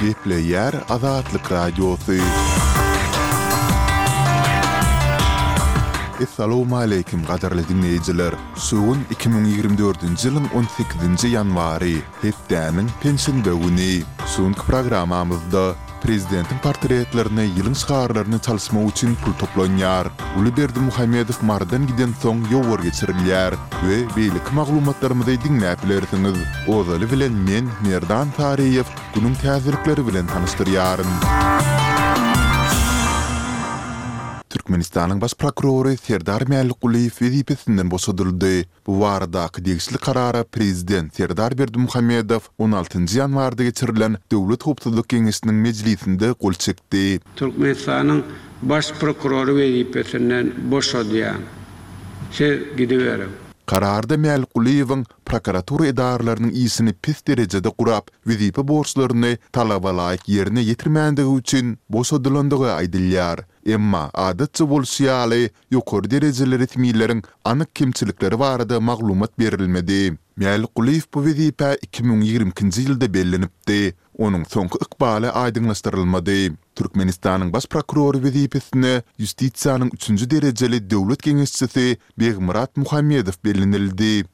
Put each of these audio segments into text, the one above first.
Gepleýär Azatlyk Radiosy. Essalawmaleýkim gadyrly diňleýjiler! Şu gün 2024-nji ýylyň on sekizinji ýanwary, hepdäniň penşenbe güni. Şu günki programmamyzda Prezidentiň portretlerini ýylyň şygarlaryny çalyşmak üçin pul toplanýar. Uly Berdimuhamedow Marydan gidensoň ýowar geçirilýär we beýleki maglumatlarymyzy diňläp bilersiňiz. Ozaly bilen men, Merdan Saryýew, günüň täzelikleri bilen tanyşdyrýaryn. Türkmenistanyň Baş prokurory Serdar Mälikgulyýew wezipesinden boşadyldy. Bu baradaky degişli karara prezident Serdar Berdimuhamedow on altynjy ýanwarda geçirilen Döwlet howpsuzlyk geňeşiniň mejlisinde gol çekdi. Türkmenistanyň Baş prokurory wezipesinden boşadýan. Siz gidiberiň. Kararda Mälikgulyýewiň prokuratura edaralarynyň işini pes derejede gurap, wezipe borçlaryny talabalaýyk ýerine ýetirmändigi üçin boşadylandygy aýdylýar. Emma, adatça bolşy ýaly, ýokary derejeli resmileriň anyk kemçilikleri barada maglumat berilmedi. Mälikgulyýew bu wezipä 2022-nji ýylda bellenipdi. Onuň soňky ykbaly aýdyňlaşdyrylmady. Türkmenistanyň Baş prokurory wezipesine ýustisiýanyň üçünji derejeli döwlet geňeşçisi Begmyrat Muhammedow bellenildi.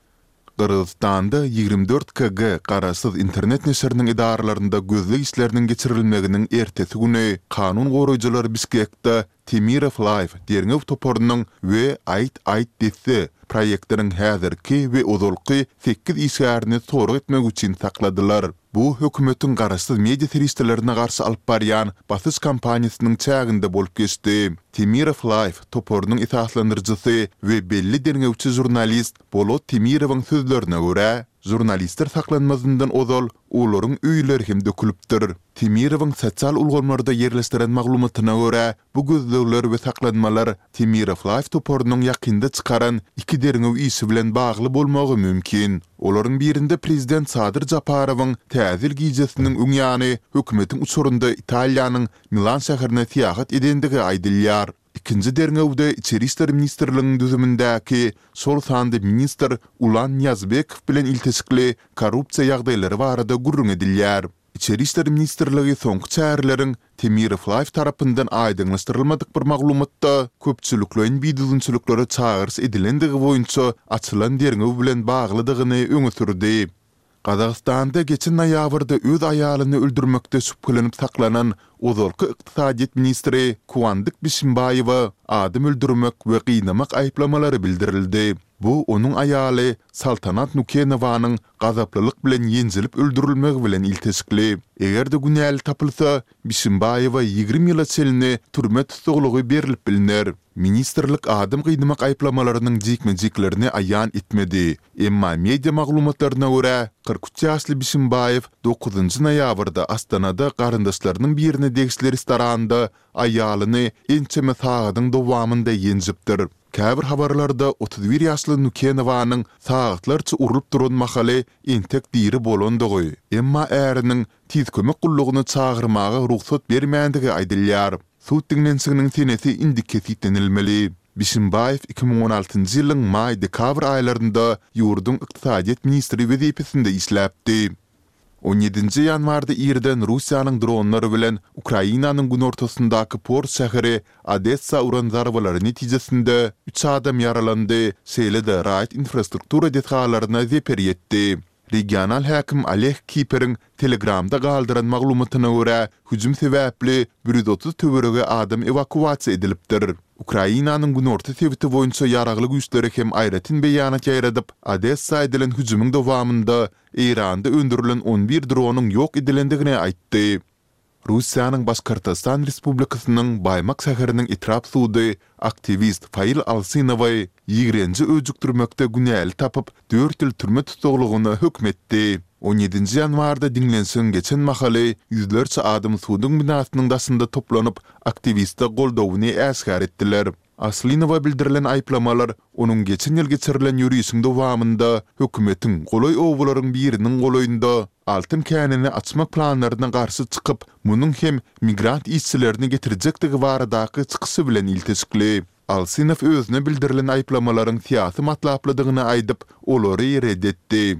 Gyrgyzystanda 24 KG garaşsyz internet neşiriniň edaralarynda gözleg işleriniň geçirilmeginiň ertesi güni kanun goraýjylar Bişkekde Temirow Live derňew toparynyň we Aýt aýt desse proýektiniň häzirki we ozalky sekiz işgärini sorag etmek üçin sakladylar. Bu hökümetiň garaşsyz media serişdelerine garşy alyp barýan basyş kampaniýasynyň çäginde bolup geçdi. Temirow Live toparynyň esaslandyryjysy we belli derňewçi žurnalist Bolot Temirowyň sözlerine görä, žurnalistler saklanmazyndan ozal olaryň öýleri hem dökülipdir. Temirowyň sosial ulgamlarda ýerleşdiren maglumatyna görä, bu gözlegler we saklanmalar Temirow Live toparynyň ýakynda çykaran iki derňew işi bilen bagly bolmagy mümkin. Olaryň birinde prezident Sadyr Japarowyň Täze ýyl gijesiniň öň ýany hökümetiň uçarynda Italiýanyň Milan şäherine syýahat edendigi aýdylýar. Ikinji derňewde Içeri işler ministrliginiň düzümindäki, şol sanda ministr Ulan Nyýazbekow bilen ilteşikli korrupsiýa ýagdaýlary barada gürrüň edilýär. Içeri işler ministrligi soňky çäreleriň Temirow Live tarapyndan aýdyňlaşdyrylmadyk bir maglumatda köpçülikleýin bidüzgünçiliklere çagyryş edilendigi boýunça açylan derňew bilen baglydygyny öňe sürdi. Gazagystanda geçen noýabrda öz aýalyny öldürmekde şübhelenip saklanan ozalky ykdysadyýet ministri Kuandyk Bişimbaýewe adam öldürmek we gynamak aýyplamalary bildirildi. Bu onuň aýaly Saltanat Nukenowanyň gazaplylyk bilen ýenjilip öldürilmegi bilen ilteşikli. Eger-de günäli tapylsa, Bişimbaýewe 20 ýyla çenli türme tussaglygy berlip bilner. Ministrlik adam gynamak aýyplamalarynyň jikme-jiklerini aýan etmedi. Emma media maglumatlaryna görä, 43 ýaşly Bişimbaýew dokuzynjy noýabrda Astanada garyndaşlarynyň birine degişli restoranda aýalyny ençeme sagadyň dowamynda ýenjipdir. Käbir habarlarda 31 ýaşly Nukenowanyň sagatlarça urlup duran mahaly entek diri bolandygy, emma äriniň Tiz kömek gullugyny çagyrmaga rugsat bermändigi aýdylýar. Sud diňlenişiginiň senesi indi kesgitlenilmeli. Bişimbaýew 2016-njy ýylyň maý-dekabr aýlarynda ýurduň ykdysadyýet ministri wezipesinde işläpdi. On ýedinji ýanwarda irden Russiýanyň dronlary bilen Ukrainanyň günortasyndaky port şäheri Odessa uran zarbalary netijesinde üç adam ýaralandy, şeýle-de raýat infrastruktura desgalaryna zeper ýetdi. Regional häkim Oleg Kiperiň Telegramda galdyran maglumatyna görä, hüjüm sebäpli 130 töweregi adam ewakuasiýa edilipdir. Ukrainanyň günorta sebiti boýunça ýaragly güýçleri hem aýratyn beýanat ýaýradyp, Odessa edilen hüjümiň dowamynda Eýranda öndürilen on bir dronyň ýok edilendigini aýtdy. Russiýanyň Başkortostan Respublikasynyň Baýmak şäheriniň etrap sudy aktiwist Fail Alsynowy ýigrenji öjükdirmekde günäli tapyp, dört ýyl türme tussaglygyna höküm etdi. On ýedinji ýanwarda diňlenişigiň geçen mahaly ýüzlerçe adam suduň binasynyň daşynda toplanyp, aktiwiste goldawyny äşgär etdiler. Aslynowa bildirilen aýyplamalar onuň geçen ýyl geçirilen ýörişiň dowamynda hökümetiň golaý obalaryň biriniň golaýynda altyn känini açmak planlaryna garşy çykyp, munuň hem migrant işçilerini getirjekdigi baradaky çykyşy bilen ilteşikli. Alsynow özüne bildirilen aýyplamalaryň syýasy matlaplydygyny aýdyp, olary ret etdi.